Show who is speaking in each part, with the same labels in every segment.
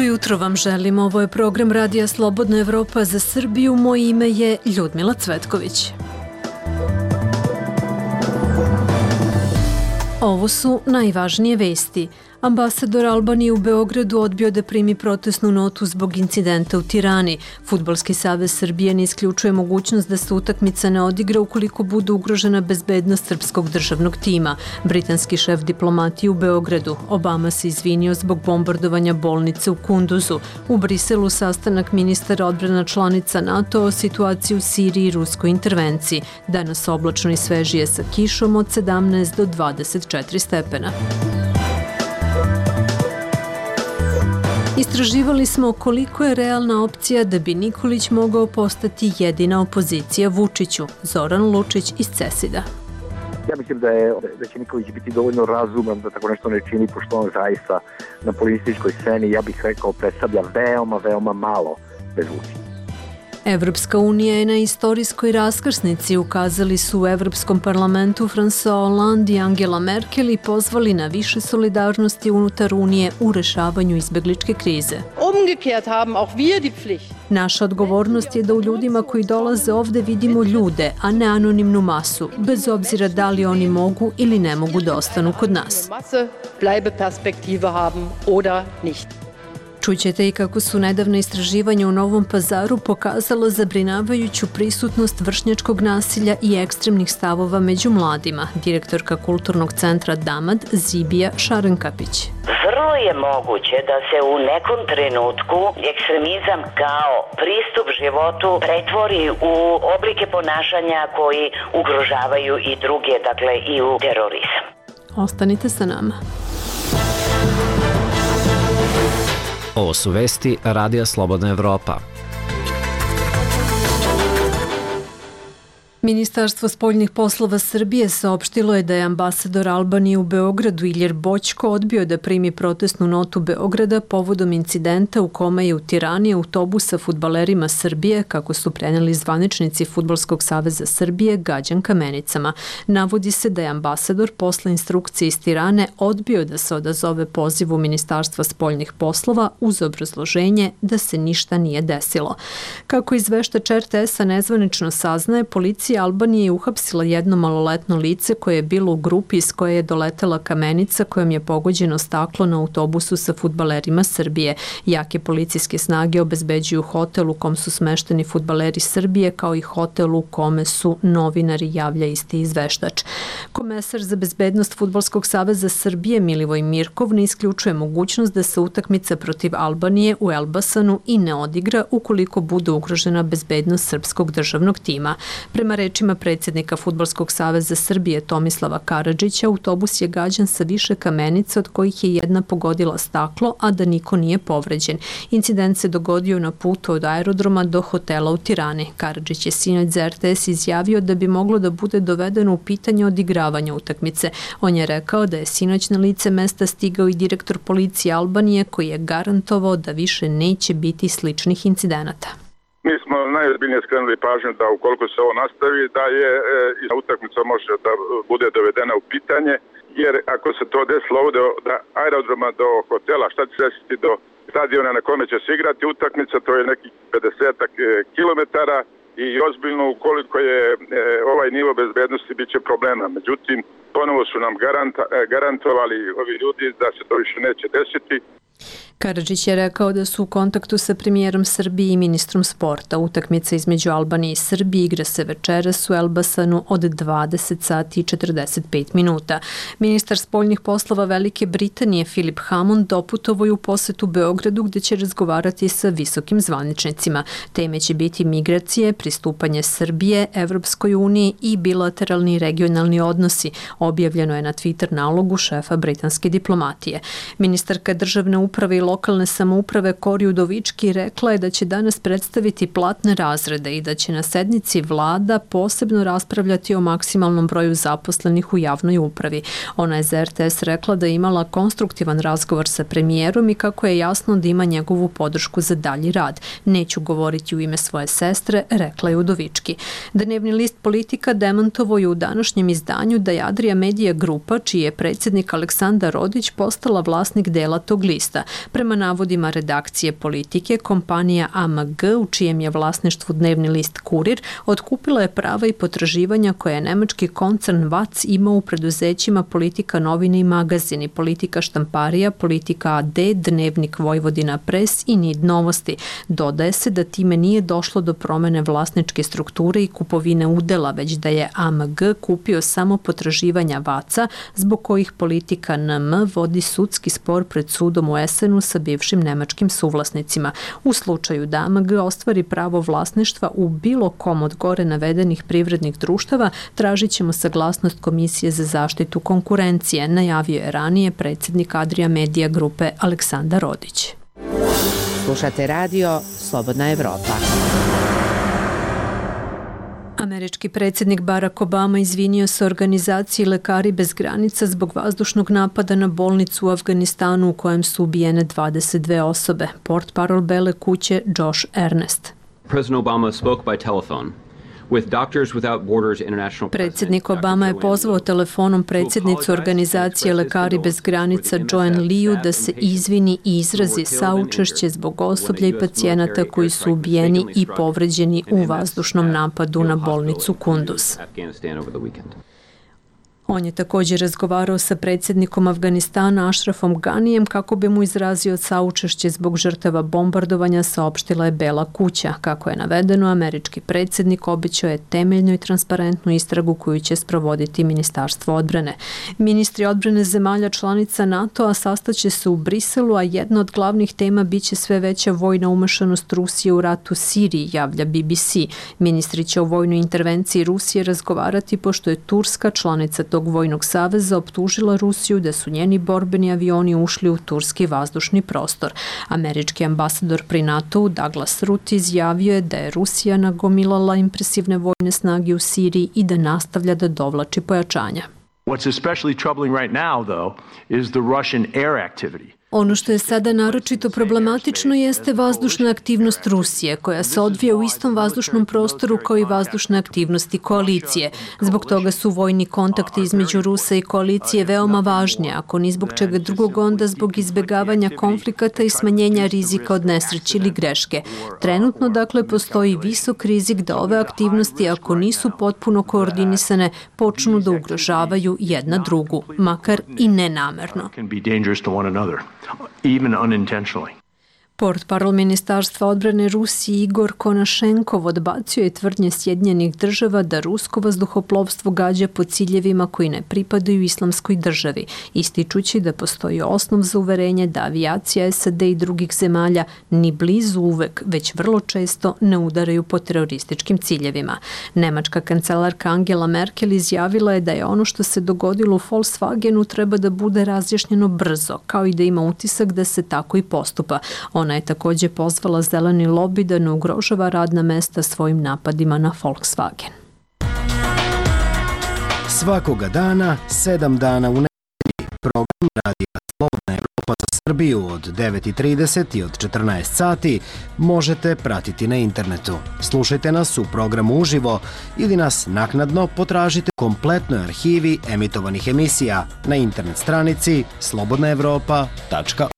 Speaker 1: Dobro jutro vam želim. Ovo je program Radija Slobodna Evropa za Srbiju. Moje ime je Ljudmila Cvetković. Ovo su najvažnije vesti. Ambasador Albanije u Beogradu odbio da primi protestnu notu zbog incidenta u Tirani. Fudbalski savez Srbije ne isključuje mogućnost da se utakmica ne odigra ukoliko bude ugrožena bezbednost srpskog državnog tima. Britanski šef diplomatije u Beogradu. Obama se izvinio zbog bombardovanja bolnice u Kunduzu. U Briselu sastanak ministara odbrana članica NATO o situaciji u Siriji i ruskoj intervenciji. Danas oblačno i svežije sa kišom od 17 do 24 stepena. Istraživali smo koliko je realna opcija da bi Nikolić mogao postati jedina opozicija Vučiću. Zoran Lučić iz CESID-a.
Speaker 2: Ja mislim da će Nikolić biti dovoljno razuman da tako nešto ne čini, pošto on zaista na političkoj sceni, ja bih rekao, predstavlja veoma malo bez Vučića.
Speaker 1: Evropska unija je na istorijskoj raskrsnici, ukazali su u Evropskom parlamentu François Hollande i Angela Merkel i pozvali na više solidarnosti unutar Unije u rešavanju izbegličke krize. Naša odgovornost je da u ljudima koji dolaze ovde vidimo ljude, a ne anonimnu masu, bez obzira da li oni mogu ili ne mogu da ostanu kod nas. Čućete i kako su nedavna istraživanja u Novom Pazaru pokazala zabrinjavajuću prisutnost vršnjačkog nasilja i ekstremnih stavova među mladima. Direktorka Kulturnog centra Damad Zibija Šarenkapić.
Speaker 3: Vrlo je moguće da se u nekom trenutku ekstremizam kao pristup životu pretvori u oblike ponašanja koji ugrožavaju i druge, dakle i u terorizam.
Speaker 1: Ostanite sa nama.
Speaker 4: Ovo su vesti Radija Slobodna Evropa.
Speaker 1: Ministarstvo spoljnih poslova Srbije saopštilo je da je ambasador Albanije u Beogradu Iljer Boćko odbio da primi protestnu notu Beograda povodom incidenta u kome je u Tirani autobus sa fudbalerima Srbije, kako su preneli zvaničnici Fudbalskog saveza Srbije, gađan kamenicama. Navodi se da je ambasador posle instrukcije iz Tirane odbio da se odazove pozivu Ministarstva spoljnih poslova uz obrazloženje da se ništa nije desilo. Kako izveštač RTS-a nezvanično saznaje, policija Albanije je uhapsila jedno maloletno lice koje je bilo u grupi iz koje je doletela kamenica kojom je pogođeno staklo na autobusu sa fudbalerima Srbije. Jake policijske snage obezbeđuju hotel u kom su smešteni fudbaleri Srbije, kao i hotel u kome su novinari, javlja isti izveštač. Komesar za bezbednost Fudbalskog saveza Srbije Milivoj Mirkov ne isključuje mogućnost da se utakmica protiv Albanije u Elbasanu i ne odigra ukoliko bude ugrožena bezbednost srpskog državnog tima. Prema rečima predsjednika Fudbalskog saveza Srbije Tomislava Karadžića, autobus je gađan sa više kamenica od kojih je jedna pogodila staklo, a da niko nije povređen. Incident se dogodio na putu od aerodroma do hotela u Tirani. Karadžić je sinoć za RTS izjavio da bi moglo da bude dovedeno u pitanje odigravanja utakmice. On je rekao da je sinoć na lice mesta stigao i direktor policije Albanije koji je garantovao da više neće biti sličnih incidenata.
Speaker 5: Mi smo najozbiljnije skrenuli pažnju da ukoliko se ovo nastavi, da je utakmica može da bude dovedena u pitanje, jer ako se to desilo ovdje od aerodroma do hotela, šta će se desiti do stadiona na kome će se igrati utakmica, to je nekih 50 kilometara i ozbiljno ukoliko je ovaj nivo bezbednosti bit će problema. Međutim, ponovo su nam garantovali ovi ljudi da se to više neće desiti.
Speaker 1: Karadžić je rekao da su u kontaktu sa premijerom Srbije i ministrom sporta. Utakmica između Albanije i Srbije igra se večeras u Elbasanu od 20 sati i 45 minuta. Ministar spoljnih poslova Velike Britanije Philip Hammond doputovao je u posetu Beogradu gdje će razgovarati sa visokim zvaničnicima. Teme će biti migracije, pristupanje Srbije, Evropskoj uniji i bilateralni regionalni odnosi, objavljeno je na Twitter nalogu šefa britanske diplomatije. Ministarka državne uprave i lokalne samouprave Kori Udovički rekla je da će danas predstaviti platne razrede i da će na sednici vlada posebno raspravljati o maksimalnom broju zaposlenih u javnoj upravi. Ona je za RTS rekla da je imala konstruktivan razgovor sa premijerom i kako je jasno da ima njegovu podršku za dalji rad. Neću govoriti u ime svoje sestre, rekla je Udovički. Dnevni list Politika demantovao je u današnjem izdanju da je Adria Media Grupa, čiji je predsjednik Aleksandar Rodić, postala vlasnik dela tog lista. Prema navodima redakcije Politike, kompanija AMG, u čijem je vlasništvu dnevni list Kurir, otkupila je prava i potraživanja koje je nemački koncern VAC imao u preduzećima Politika novine i magazini, Politika štamparija, Politika AD, Dnevnik Vojvodina Pres i Nid Novosti. Dodaje se da time nije došlo do promene vlasničke strukture i kupovine udela, već da je AMG kupio samo potraživanja VAC-a, zbog kojih Politika NM vodi sudski spor pred sudom u Essenu sa bivšim nemačkim suvlasnicima. U slučaju da AMG ostvari pravo vlasništva u bilo kom od gore navedenih privrednih društava, tražit ćemo saglasnost Komisije za zaštitu konkurencije, najavio je ranije predsjednik Adria Media grupe Aleksandar Rodić.
Speaker 6: Slušate radio Slobodna Evropa.
Speaker 1: Američki predsjednik Barack Obama izvinio se organizaciji Lekari bez granica zbog vazdušnog napada na bolnicu u Afganistanu u kojem su ubijene 22 osobe. Portparol Bele kuće Josh Ernest.
Speaker 7: President Obama spoke by telephone.
Speaker 1: Predsjednik Obama je pozvao telefonom predsjednicu organizacije Lekari bez granica Joanne Liu da se izvini i izrazi saučešće zbog osoblja i pacijenata koji su ubijeni i povređeni u vazdušnom napadu na bolnicu Kunduz. On je također razgovarao sa predsjednikom Afganistana Ashrafom Ganijem kako bi mu izrazio saučešće zbog žrtava bombardovanja, saopštila je Bela kuća. Kako je navedeno, američki predsjednik obećao je temeljnu i transparentnu istragu koju će sprovoditi Ministarstvo odbrane. Ministri odbrane zemalja članica NATO-a sastaće se u Briselu, a jedna od glavnih tema biće sve veća vojna umešanost Rusije u rat u Siriji, javlja BBC. Ministri će o vojnoj intervenciji Rusije razgovarati pošto je Turska, članica tog vojnog saveza, optužila Rusiju da su njeni borbeni avioni ušli u turski vazdušni prostor. Američki ambasador pri NATO-u Douglas Ruth izjavio je da je Rusija nagomilala impresivne vojne snage u Siriji i da nastavlja da dovlači pojačanja.
Speaker 8: What's especially troubling right now, though, is the Russian air activity.
Speaker 1: Ono što je sada naročito problematično jeste vazdušna aktivnost Rusije, koja se odvija u istom vazdušnom prostoru kao i vazdušne aktivnosti koalicije. Zbog toga su vojni kontakti između Rusa i koalicije veoma važni, ako ni zbog čega drugog, onda zbog izbjegavanja konflikata i smanjenja rizika od nesreće ili greške. Trenutno, dakle, postoji visok rizik da ove aktivnosti, ako nisu potpuno koordinisane, počnu da ugrožavaju jedna drugu, makar i nenamerno.
Speaker 8: Even unintentionally.
Speaker 1: Portparol Ministarstva odbrane Rusije Igor Konašenkov odbacio je tvrdnje Sjedinjenih država da rusko vazduhoplovstvo gađa po ciljevima koji ne pripadaju islamskoj državi, ističući da postoji osnov za uverenje da avijacija SAD i drugih zemalja ni blizu uvek, već vrlo često ne udaraju po terorističkim ciljevima. Nemačka kancelarka Angela Merkel izjavila je da je ono što se dogodilo u Volkswagenu treba da bude razjašnjeno brzo, kao i da ima utisak da se tako i postupa. Ona je također pozvala zeleni lobi da ne ugrožava radna mesta svojim napadima na Volkswagen.
Speaker 9: Svakoga dana, 7 dana u nedelji, program Radija Slobodna Evropa za Srbiju od 9:30 i od 14 sati možete pratiti na internetu. Slušajte nas u programu uživo ili nas naknadno potražite u kompletnoj arhivi emitovanih emisija na internet stranici slobodnaevropa.org.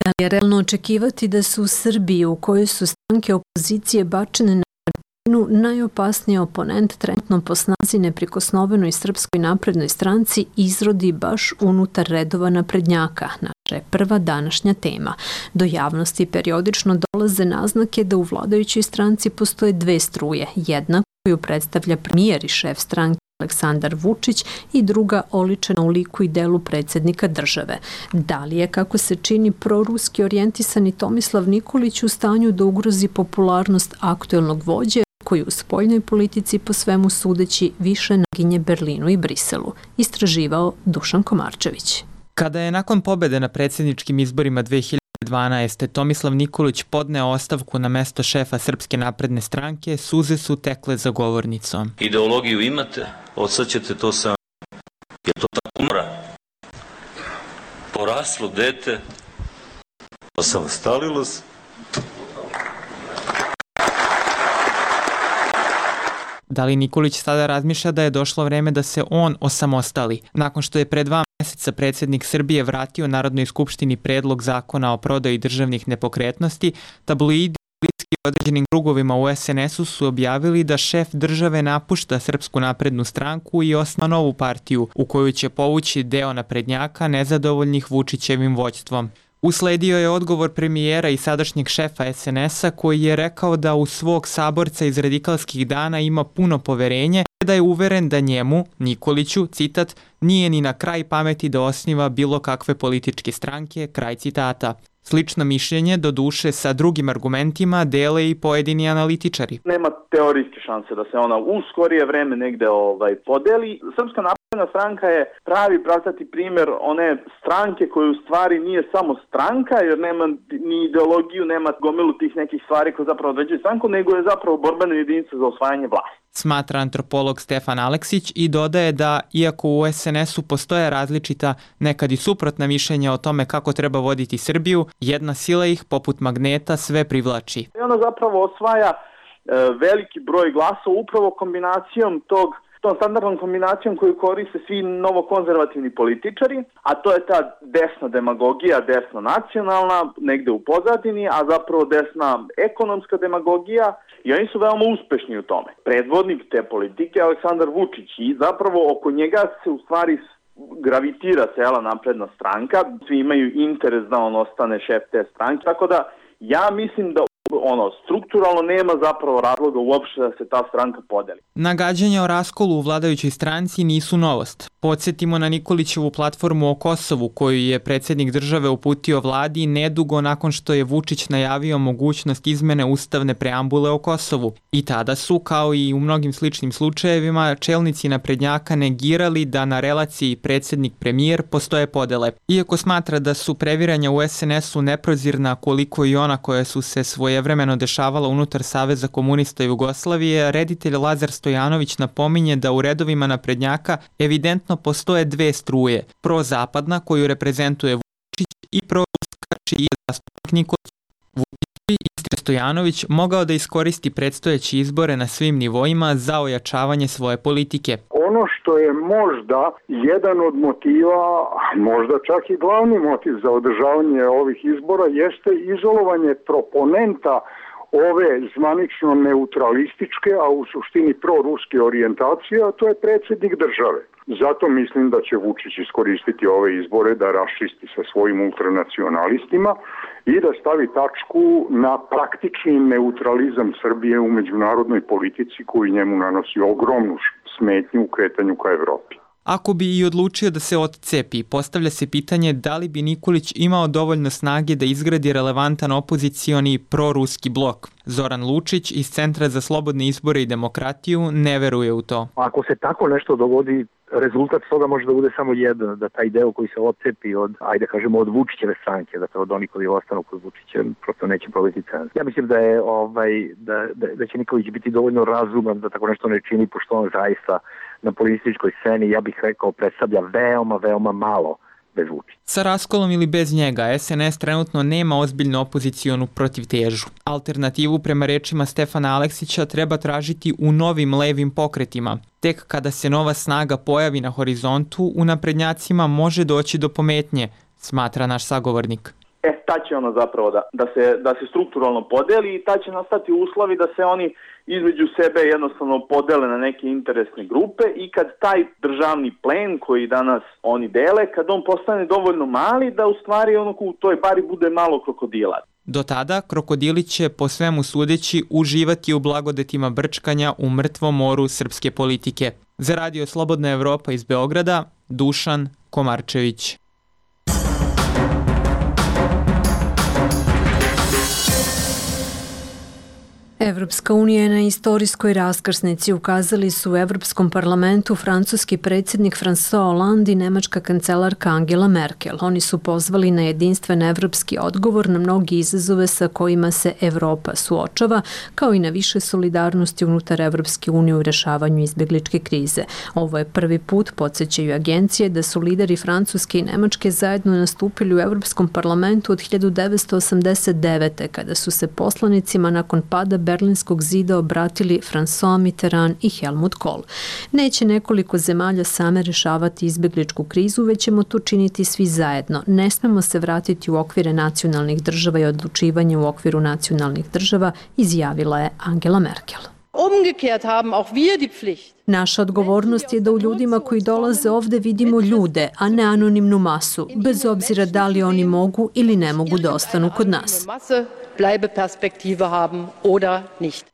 Speaker 1: Da li je realno očekivati da su u Srbiji, u kojoj su stranke opozicije bačene na marginu, najopasniji oponent trenutno po snazi neprikosnovenoj Srpskoj naprednoj stranci izrodi baš unutar redova naprednjaka? Naša je prva današnja tema. Do javnosti periodično dolaze naznake da u vladajućoj stranci postoje dve struje. Jedna koju predstavlja premijer i šef stranke Aleksandar Vučić i druga oličena u liku i delu predsjednika države. Da li je, kako se čini, proruski orijentisani Tomislav Nikolić u stanju da ugrozi popularnost aktuelnog vođe koji u spoljnoj politici po svemu sudeći više naginje Berlinu i Briselu? Istraživao Dušan Komarčević.
Speaker 10: Kada je nakon pobjede na predsjedničkim izborima 2012. Tomislav Nikolić podneo ostavku na mesto šefa Srpske napredne stranke, suze su tekle za govornicom.
Speaker 11: Ideologiju imate, od sad ćete to sam, jer to tako mora. Poraslo dete, osamostalilo se.
Speaker 10: Da li Nikolić sada razmišlja da je došlo vreme da se on osamostali, nakon što je pred vama meseca predsjednik Srbije vratio Narodnoj skupštini predlog zakona o prodaji državnih nepokretnosti, tabloidi bliski određenim krugovima u SNS-u su objavili da šef države napušta Srpsku naprednu stranku i osniva novu partiju u koju će povući deo naprednjaka nezadovoljnih Vučićevim vođstvom. Usledio je odgovor premijera i sadašnjeg šefa SNS-a koji je rekao da u svog saborca iz radikalskih dana ima puno poverenje, da je uveren da njemu, Nikoliću, citat, nije ni na kraj pameti da osniva bilo kakve političke stranke, kraj citata. Slično mišljenje, doduše sa drugim argumentima, dele i pojedini analitičari.
Speaker 12: Nema teorijske šanse da se ona u skorije vreme negde podeli. Srpska napredna stranka je pravi pravcati primjer one stranke koje u stvari nije samo stranka, jer nema ni ideologiju, nema gomilu tih nekih stvari koje zapravo određuju stranku, nego je zapravo borbena jedinica za osvajanje vlasti.
Speaker 10: Smatra antropolog Stefan Aleksić i dodaje da, iako u SNS-u postoje različita, nekad i suprotna mišljenja o tome kako treba voditi Srbiju, jedna sila ih, poput magneta, sve privlači.
Speaker 12: I ona zapravo osvaja veliki broj glasova upravo kombinacijom tom standardnom kombinacijom koju koriste svi novokonzervativni političari, a to je ta desna demagogija, desna nacionalna, negde u pozadini, a zapravo desna ekonomska demagogija, i oni su veoma uspešni u tome. Predvodnik te politike je Aleksandar Vučić i zapravo oko njega se u stvari gravitira cela napredna stranka, svi imaju interes da on ostane šef te stranke, tako da ja mislim da strukturalno nema zapravo razloga uopšte da se ta stranka podeli.
Speaker 10: Nagađanja o raskolu u vladajućoj stranci nisu novost. Podsjetimo na Nikolićevu platformu o Kosovu koju je predsjednik države uputio vladi nedugo nakon što je Vučić najavio mogućnost izmene ustavne preambule o Kosovu. I tada su, kao i u mnogim sličnim slučajevima, čelnici naprednjaka negirali da na relaciji predsjednik-premijer postoje podele. Iako smatra da su previranja u SNS-u neprozirna koliko i ona koja su se svojevremeno dešavala unutar Saveza komunista Jugoslavije, reditelj Lazar Stojanović napominje da u redovima naprednjaka evidentno postoje dve struje, prozapadna koju reprezentuje Vučić i proruska čiji je zastupnik Nikolić. Vučić bi Istre Stojanović mogao da iskoristi predstojeće izbore na svim nivoima za ojačavanje svoje politike.
Speaker 13: Ono što je možda jedan od motiva, možda čak i glavni motiv za održavanje ovih izbora jeste izolovanje proponenta ove zvanično neutralističke, a u suštini proruske orijentacije, a to je predsjednik države. Zato mislim da će Vučić iskoristiti ove izbore da raščisti sa svojim ultranacionalistima i da stavi tačku na praktični neutralizam Srbije u međunarodnoj politici koji njemu nanosi ogromnu smetnju u kretanju ka Evropi.
Speaker 10: Ako bi i odlučio da se odcepi, postavlja se pitanje da li bi Nikolić imao dovoljno snage da izgradi relevantan opozicioni proruski blok. Zoran Lučić iz Centra za slobodne izbore i demokratiju ne veruje u to.
Speaker 2: Ako se tako nešto dogodi, rezultat toga može da bude samo jedan, da taj deo koji se odcepi od, ajde kažemo, od Vučićeve stranke, dakle od onih koji ostanu kod Vučića, prosto neće probiti cenzor. Ja mislim da je da će Nikolić biti dovoljno razuman da tako nešto ne čini, pošto on zaista na političkoj sceni, ja bih rekao, predstavlja veoma malo bez Vučića.
Speaker 10: Sa raskolom ili bez njega, SNS trenutno nema ozbiljnu opozicionu protivtežu. Alternativu, prema rečima Stefana Aleksića, treba tražiti u novim levim pokretima. Tek kada se nova snaga pojavi na horizontu, u naprednjacima može doći do pometnje, smatra naš sagovornik.
Speaker 12: Ta će ono zapravo da se strukturalno podeli i ta će nastati uslovi da se oni između sebe jednostavno podele na neke interesne grupe i kad taj državni plen koji danas oni dele, kad on postane dovoljno mali da u stvari u toj bari bude malo krokodila.
Speaker 10: Do tada krokodili će po svemu sudeći uživati u blagodetima brčkanja u mrtvom moru srpske politike. Za Radio Slobodna Evropa iz Beograda, Dušan Komarčević.
Speaker 1: Evropska unija je na istorijskoj raskrsnici, ukazali su u Evropskom parlamentu francuski predsjednik François Hollande i nemačka kancelarka Angela Merkel. Oni su pozvali na jedinstven evropski odgovor na mnogi izazove sa kojima se Evropa suočava, kao i na više solidarnosti unutar Evropske unije u rešavanju izbjegličke krize. Ovo je prvi put, podsjećaju agencije, da su lideri Francuske i Nemačke zajedno nastupili u Evropskom parlamentu od 1989. kada su se poslanicima nakon pada Berlinskog zida obratili François Mitterrand i Helmut Kohl. Neće nekoliko zemalja same rešavati izbegličku krizu, već ćemo to činiti svi zajedno. Ne smemo se vratiti u okvire nacionalnih država i odlučivanje u okviru nacionalnih država, izjavila je Angela Merkel.
Speaker 14: Umgekehrt haben auch wir die Pflicht.
Speaker 1: Naša odgovornost je da u ljudima koji dolaze ovde vidimo ljude, a ne anonimnu masu, bez obzira da li oni mogu ili ne mogu da ostanu kod nas.
Speaker 14: Bleibeperspektive haben oder nicht.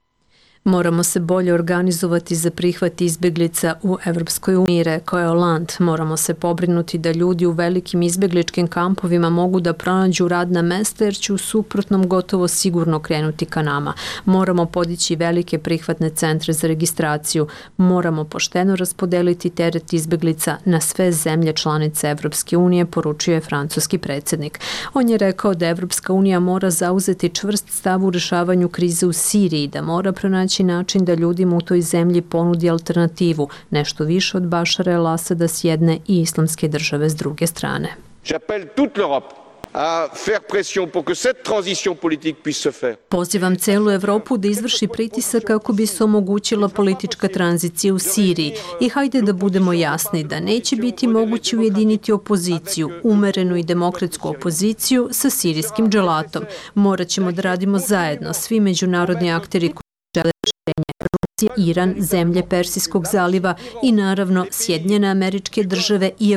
Speaker 1: Moramo se bolje organizovati za prihvat izbeglica u Evropskoj uniji, rekao je Hollande. Moramo se pobrinuti da ljudi u velikim izbegličkim kampovima mogu da pronađu radna mesta, jer će u suprotnom gotovo sigurno krenuti ka nama. Moramo podići velike prihvatne centre za registraciju. Moramo pošteno raspodeliti teret izbeglica na sve zemlje članice Evropske unije, poručio je francuski predsjednik. On je rekao da Evropska unija mora zauzeti čvrst stav u rešavanju krize u Siriji, da mora pronaći način da ljudima u toj zemlji ponudi alternativu, nešto više od Bašara el-Asada s jedne i Islamske države s druge strane.
Speaker 15: J'appelle toute l'Europe à faire pression pour que cette transition politique puisse se faire.
Speaker 1: Pozivam celu Evropu da izvrši pritisak kako bi se omogućila politička tranzicija u Siriji. I hajde da budemo jasni da neće biti moguće ujediniti opoziciju, umerenu i demokratsku opoziciju sa sirijskim dželatom. Morat ćemo da radimo zajedno, svi međunarodni akteri koji žele rešenje. Rusija, Iran, zemlje Persijskog zaliva i naravno Sjedinjene Američke države i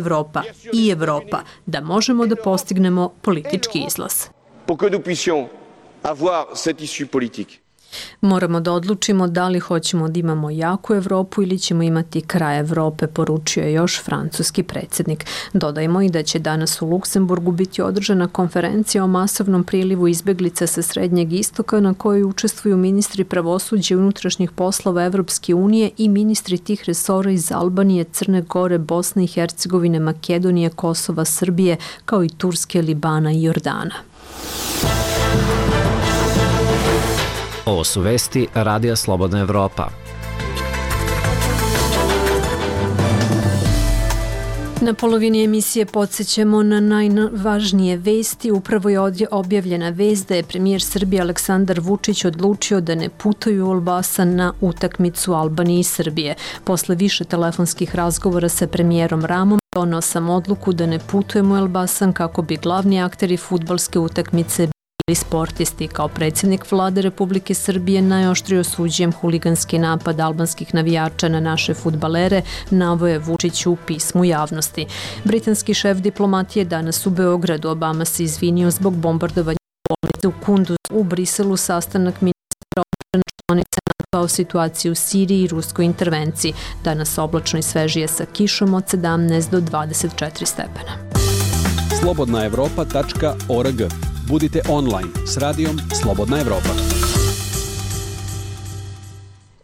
Speaker 1: Evropa, da možemo da postignemo politički izlaz.
Speaker 15: Pour que nous puissions avoir cette issue politique.
Speaker 1: Moramo da odlučimo da li hoćemo da imamo jaku Evropu ili ćemo imati kraj Evrope, poručio je još francuski predsjednik. Dodajmo i da će danas u Luksemburgu biti održana konferencija o masovnom prilivu izbeglica sa Srednjeg istoka na kojoj učestvuju ministri pravosuđa i unutrašnjih poslova Evropske unije i ministri tih resora iz Albanije, Crne Gore, Bosne i Hercegovine, Makedonije, Kosova, Srbije, kao i Turske, Libana i Jordana.
Speaker 4: Ovo su vesti Radija Slobodna Evropa.
Speaker 1: Na polovini emisije podsjećamo na najvažnije vesti. Upravo je objavljena vest da je premijer Srbije Aleksandar Vučić odlučio da ne putuje u Elbasan na utakmicu Albanije i Srbije. Posle više telefonskih razgovora sa premijerom Ramom, doneo sam odluku da ne putujem u Elbasan kako bi glavni akteri fudbalske utakmice bili sportisti. Kao predsjednik vlade Republike Srbije najoštrio osuđujem huliganski napad albanskih navijača na naše fudbalere, naveo je Vučić u pismu javnosti. Britanski šef diplomatije danas u Beogradu. Obama se izvinio zbog bombardovanja bolnice u Kunduzu. U Briselu sastanak ministra odbrane članice NATO o situaciji u Siriji i ruskoj intervenciji. Danas oblačno i svežije sa kišom od 17 do 24 stepena.
Speaker 16: slobodnaevropa.org. Budite online s radijom Slobodna Evropa.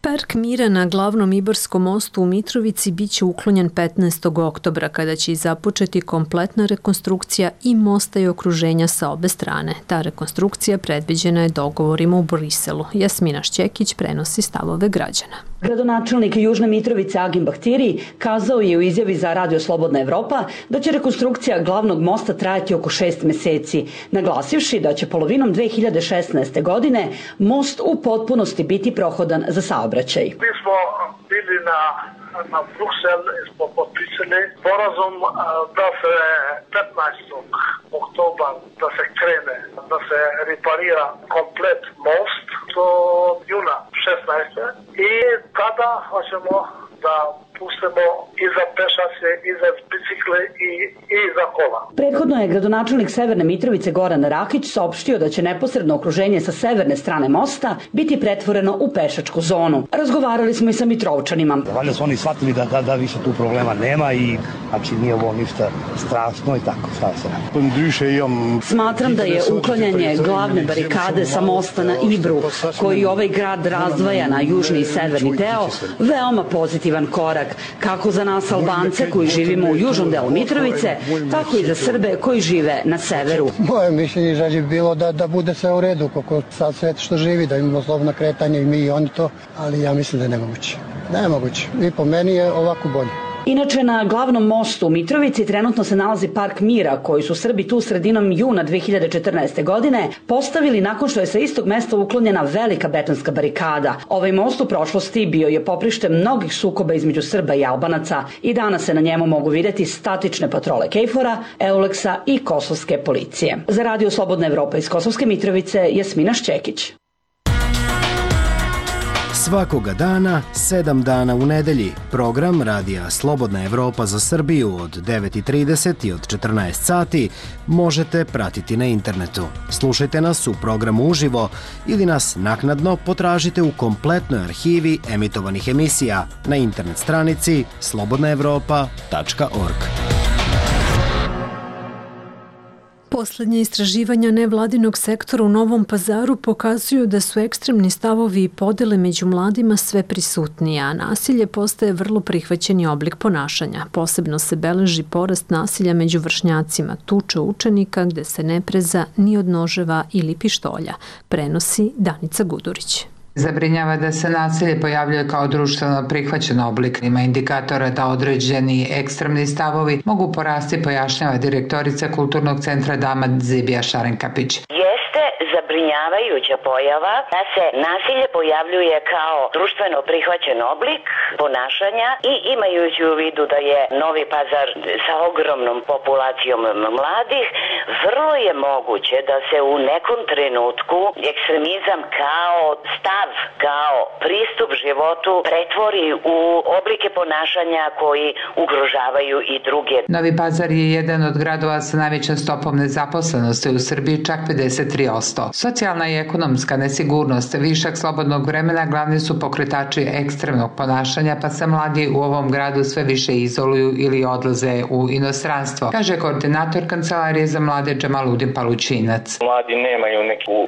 Speaker 1: Park mira na glavnom Ibarskom mostu u Mitrovici biće uklonjen 15. oktobra, kada će i započeti kompletna rekonstrukcija i mosta i okruženja sa obe strane. Ta rekonstrukcija predviđena je dogovorima u Briselu. Jasmina Šćekić prenosi stavove građana.
Speaker 17: Gradonačelnik Južne Mitrovice Agim Bahtiri kazao je u izjavi za Radio Slobodna Evropa da će rekonstrukcija glavnog mosta trajati oko 6 meseci, naglasivši da će polovinom 2016. godine most u potpunosti biti prohodan za saobraćaj.
Speaker 18: Mi smo bili na Bruxel i smo potpisali sporazum da se 15. oktobra da se krene, da se reparira komplet most do juna 16. I tada hoćemo da pustimo i za pešace, i za bicikle, i za kola.
Speaker 17: Prethodno je gradonačelnik Severne Mitrovice Goran Rakić saopštio da će neposredno okruženje sa severne strane mosta biti pretvoreno u pešačku zonu. Razgovarali smo i sa Mitrovčanima.
Speaker 19: Valjda su oni shvatili da više tu problema nema i znači nije ovo ništa strašno i tako, šta se radi.
Speaker 17: Smatram da je uklanjanje glavne barikade sa mosta na Ibru, koji ovaj grad razdvaja na južni i severni deo, veoma pozitivan korak, kako za nas Albance koji živimo u južnom delu Mitrovice, tako i za Srbe koji žive na severu.
Speaker 20: Moje mišljenje je bilo da bude sve u redu, kako sad sve što živi, da imamo slobodno kretanje i mi i oni to, ali ja mislim da je nemoguće. Nemoguće. I po meni je ovako bolje.
Speaker 17: Inače, na glavnom mostu u Mitrovici trenutno se nalazi Park mira koji su Srbi tu sredinom juna 2014. godine postavili nakon što je sa istog mesta uklonjena velika betonska barikada. Ovaj most u prošlosti bio je poprište mnogih sukoba između Srba i Albanaca i danas se na njemu mogu vidjeti statične patrole KFOR-a, Euleksa i kosovske policije. Za Radio Slobodna Evropa iz Kosovske Mitrovice, Jasmina Šćekić.
Speaker 9: Svakoga dana, 7 dana u nedelji, program Radija Slobodna Evropa za Srbiju od 9:30 i od 14 sati možete pratiti na internetu. Slušajte nas u programu uživo ili nas naknadno potražite u kompletnoj arhivi emitovanih emisija na internet stranici slobodnaevropa.org.
Speaker 1: Poslednje istraživanja nevladinog sektora u Novom Pazaru pokazuju da su ekstremni stavovi i podele među mladima sve prisutnije, a nasilje postaje vrlo prihvaćeni oblik ponašanja. Posebno se beleži porast nasilja među vršnjacima, tuče učenika gde se ne preza ni od noževa ili pištolja, prenosi Danica Gudurić.
Speaker 21: Zabrinjava da se nasilje pojavljuje kao društveno prihvaćen oblik. Ima indikatora da određeni ekstremni stavovi mogu porasti, pojašnjava direktorica Kulturnog centra Dama Zibija Šarenkapić.
Speaker 3: Jeste zabrinjavajuća pojava da se nasilje pojavljuje kao društveno prihvaćen oblik ponašanja i imajući u vidu da je Novi Pazar sa ogromnom populacijom mladih, vrlo je moguće da se u nekom trenutku ekstremizam kao stav, kao pristup životu pretvori u oblike ponašanja koji ugrožavaju i druge.
Speaker 21: Novi Pazar je jedan od gradova sa najvećom stopom nezaposlenosti u Srbiji, čak 53%. Socijalna i ekonomska nesigurnost, višak slobodnog vremena glavni su pokretači ekstremnog ponašanja, pa se mladi u ovom gradu sve više izoluju ili odlaze u inostranstvo, kaže koordinator Kancelarije za mlade Džamaludin Palučinac.
Speaker 22: Mladi nemaju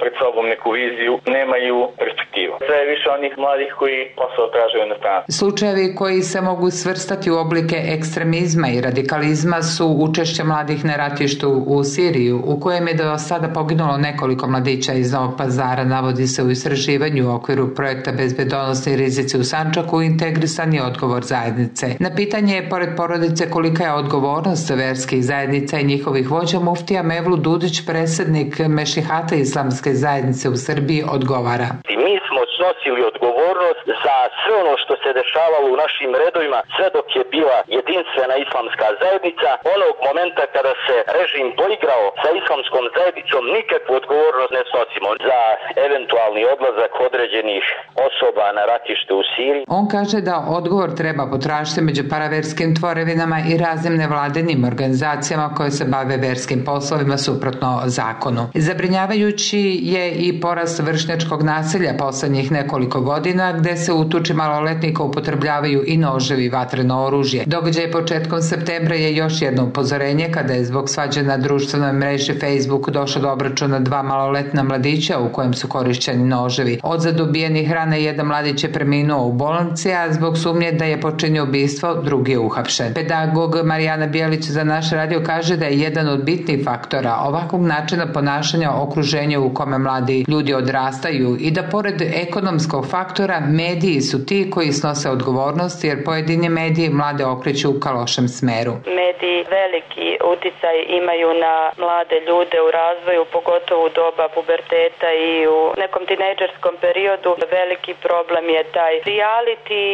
Speaker 22: pred sobom neku viziju, nemaju perspektivu. Sve je više onih mladih koji posao traže u inostranstvu.
Speaker 21: Slučajevi koji se mogu svrstati u oblike ekstremizma i radikalizma su učešće mladih na ratištu u Siriju, u kojem je do sada poginulo nekoliko mladića iz Novog Pazara, navodi se u istraživanju u okviru projekta Bezbedonosni rizici u Sandžaku integrisani odgovor zajednice. Na pitanje, pored porodice, kolika je odgovornost verskih zajednica i njihovih vođa, muftija Mevlut Dudić, predsjednik Mešihata islamske zajednice u Srbiji, odgovara.
Speaker 22: Mi smo snosili odgovornost za sve ono što se dešavalo u našim redovima sve dok je bila jedinstvena islamska zajednica. Onog momenta kada se režim poigrao sa islamskom zajednicom, nikakvu odgovornost ne snosimo za eventualni odlazak određenih osoba na ratište u Siriji.
Speaker 21: On kaže da odgovor treba potražiti među paraverskim tvorevinama i raznim nevladinim organizacijama koje se bave verskim poslovima suprotno zakonu. Zabrinjavajući je i porast vršnjačkog nasilja poslednjih nekoliko godina, gde se u tuči maloletnika upotrebljavaju i noževi i vatreno oružje. Događaj početkom septembra je još jedno upozorenje kada je zbog svađe na društvenoj mreži Facebook došlo do obračuna 2 maloletna mladića u kojem su korišćeni noževi. Od zadubijenih rana jedan mladić je preminuo u bolnici, a zbog sumnje da je počinio ubistvo, drugi je uhapšen. Pedagog Marijana Bijelić za naš radio kaže da je jedan od bitnih faktora ovakvog načina ponašanja okruženje u kome mladi ljudi odrastaju i da pored ekonomskog faktora mediji su ti koji snose odgovornost jer pojedini mediji mlade okreću ka lošem smeru.
Speaker 23: Mediji veliki uticaj imaju na mlade ljude u razvoju, pogotovo u doba puberteta i u nekom tinejdžerskom periodu. Veliki problem je taj reality,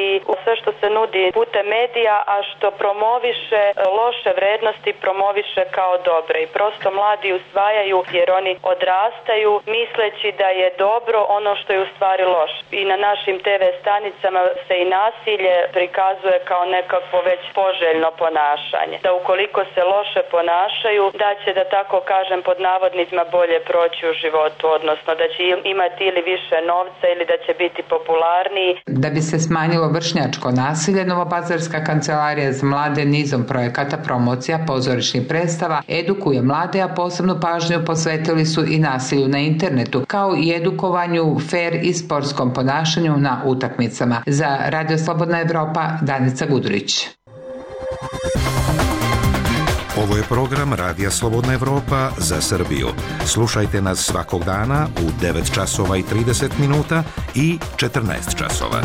Speaker 23: sve što se nudi putem medija, a što promoviše loše vrednosti, promoviše kao dobre i prosto mladi usvajaju jer oni odrastaju misleći da je dobro ono što je u stvari loše. I na našim TV stanicama se i nasilje prikazuje kao nekakvo već poželjno ponašanje. Da ukoliko se loše ponašaju, da će, da tako kažem, pod navodnicima bolje proći u životu, odnosno da će imati ili više novca ili da će biti popularniji.
Speaker 21: Da bi se smanjilo vršnjačko nasilje, Novopazarska kancelarija za mlade nizom projekata, promocija, pozorišnih predstava edukuje mlade, a posebnu pažnju posvetili su i nasilju na internetu, kao i edukovanju fair i sportskom ponašanju na utakmicama. Za Radio Slobodna Evropa, Danica Gudurić.
Speaker 24: Ovo je program Radija Slobodna Evropa za Srbiju. Slušajte nas svakog dana u 9 časova i 30 minuta i 14 časova.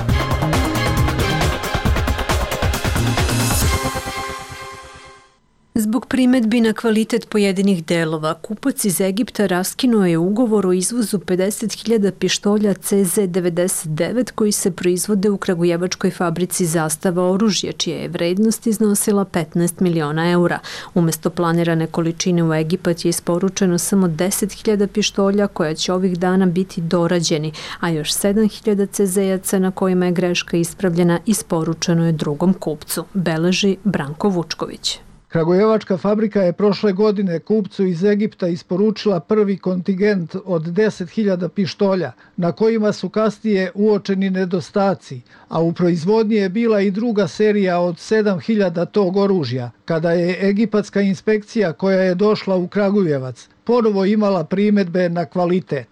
Speaker 1: primetbi na kvalitet pojedinih delova, kupac iz Egipta raskinuo je ugovor o izvozu 50.000 pištolja CZ-99 koji se proizvode u kragujevačkoj fabrici Zastava oružje, čija je vrednost iznosila 15 miliona eura. Umesto planirane količine u Egipat je isporučeno samo 10.000 pištolja koja će ovih dana biti dorađeni, a još 7.000 CZ-jaca na kojima je greška ispravljena isporučeno je drugom kupcu, beleži Branko Vučković.
Speaker 5: Kragujevačka fabrika je prošle godine kupcu iz Egipta isporučila prvi kontingent od 10.000 pištolja, na kojima su kasnije uočeni nedostaci, a u proizvodnji je bila i druga serija od 7.000 tog oružja, kada je egipatska inspekcija koja je došla u Kragujevac ponovo imala primetbe na kvalitet.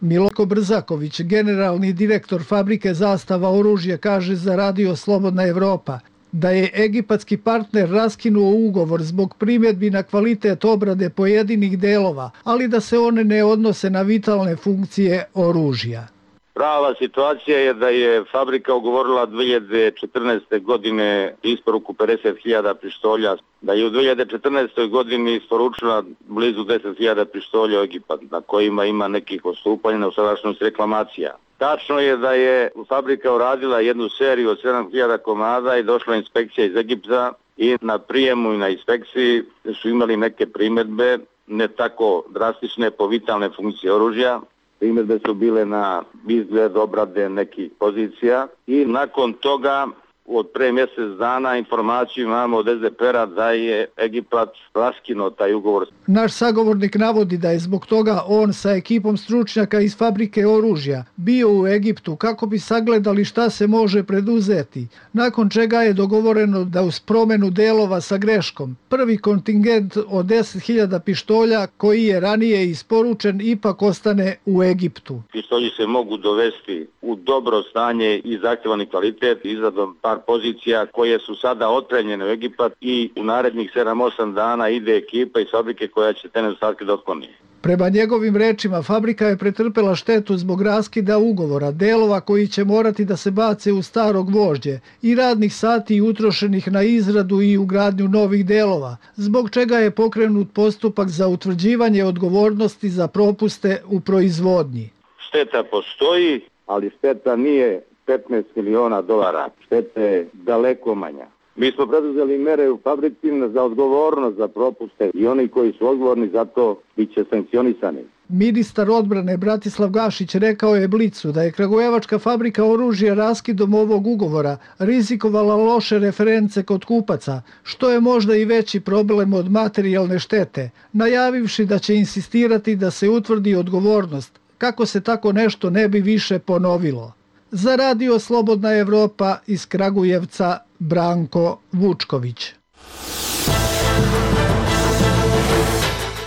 Speaker 5: Miloko Brzaković, generalni direktor fabrike Zastava oružje, kaže za Radio Slobodna Evropa da je egipatski partner raskinuo ugovor zbog primjedbi na kvalitet obrade pojedinih delova, ali da se one ne odnose na vitalne funkcije oružja.
Speaker 6: Prava situacija je da je fabrika ugovorila 2014. godine isporuku 50.000 pištolja, da je u 2014. godini isporučila blizu 10.000 pištolja u Egipat, na kojima ima nekih odstupanja na usadašnjost reklamacija. Tačno je da je fabrika uradila jednu seriju od 7.000 komada i došla inspekcija iz Egipta i na prijemu i na inspekciji su imali neke primjedbe, ne tako drastične po vitalne funkcije oružja. Primjedbe su bile na izgled obrade nekih pozicija i nakon toga od pre mjesec dana informaciju imamo od SDPR-a da je Egipat raskinuo taj ugovor.
Speaker 5: Naš sagovornik navodi da je zbog toga on sa ekipom stručnjaka iz fabrike oružja bio u Egiptu kako bi sagledali šta se može preduzeti, nakon čega je dogovoreno da uz promjenu delova sa greškom prvi kontingent od 10.000 pištolja koji je ranije isporučen ipak ostane u Egiptu.
Speaker 6: Pištolji se mogu dovesti u dobro stanje i zahtjevani kvalitet izradom par pozicija koje su sada otpremljene u Egipat i u narednih 7-8 dana ide ekipa iz fabrike koja će te nedostatke da otkloni.
Speaker 5: Prema njegovim rečima, fabrika je pretrpela štetu zbog raskida ugovora, delova koji će morati da se bace u staro gvožđe i radnih sati utrošenih na izradu i ugradnju novih delova, zbog čega je pokrenut postupak za utvrđivanje odgovornosti za propuste u proizvodnji.
Speaker 6: Šteta postoji, ali šteta nije 15 miliona dolara. Šteta je daleko manja. Mi smo preduzeli mere u fabrici za odgovornost za propuste i oni koji su odgovorni za to bit će sankcionisani.
Speaker 5: Ministar odbrane Bratislav Gašić rekao je Blicu da je kragujevačka fabrika oružja raskidom ovog ugovora rizikovala loše reference kod kupaca, što je možda i veći problem od materijalne štete, najavivši da će insistirati da se utvrdi odgovornost, kako se tako nešto ne bi više ponovilo. Za Radio Slobodna Evropa iz Kragujevca, Branko Vučković.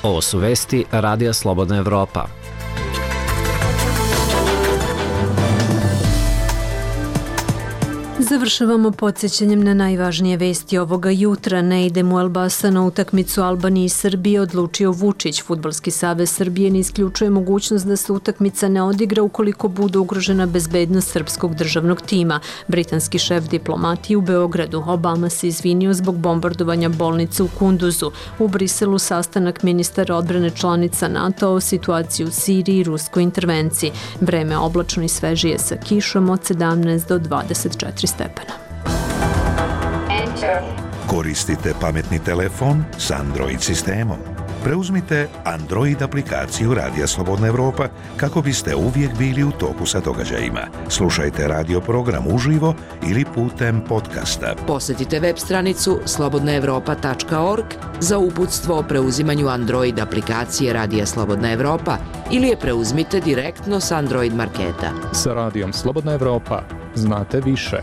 Speaker 4: Ovo su vesti Radija Slobodna Evropa.
Speaker 1: Završavamo podsjećanjem na najvažnije vesti ovoga jutra. Ne ide mu Elbasa na utakmicu Albanije i Srbije, odlučio Vučić. Fudbalski savez Srbije ne isključuje mogućnost da se utakmica ne odigra ukoliko bude ugrožena bezbednost srpskog državnog tima. Britanski šef diplomatije u Beogradu. Obama se izvinio zbog bombardovanja bolnice u Kunduzu. U Briselu sastanak ministara odbrane članica NATO o situaciji u Siriji i ruskoj intervenciji. Vreme oblačno i svežije sa kišom od 17 do 24 stepena.
Speaker 24: Koristite pametni telefon s Android sistemom. Preuzmite Android aplikaciju Radija Slobodna Evropa kako biste uvijek bili u toku sa događajima. Slušajte radio program uživo ili putem podcasta.
Speaker 7: Posjetite web stranicu slobodnaevropa.org za uputstvo o preuzimanju Android aplikacije Radija Slobodna Evropa ili je preuzmite direktno s Android marketa.
Speaker 8: Sa Radijom Slobodna Evropa znate više.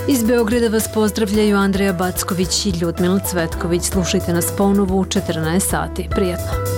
Speaker 1: Iz Beograda vas pozdravljaju Andreja Backović i Ljudmila Cvetković. Slušajte nas ponovo u 14 sati. Prijatno.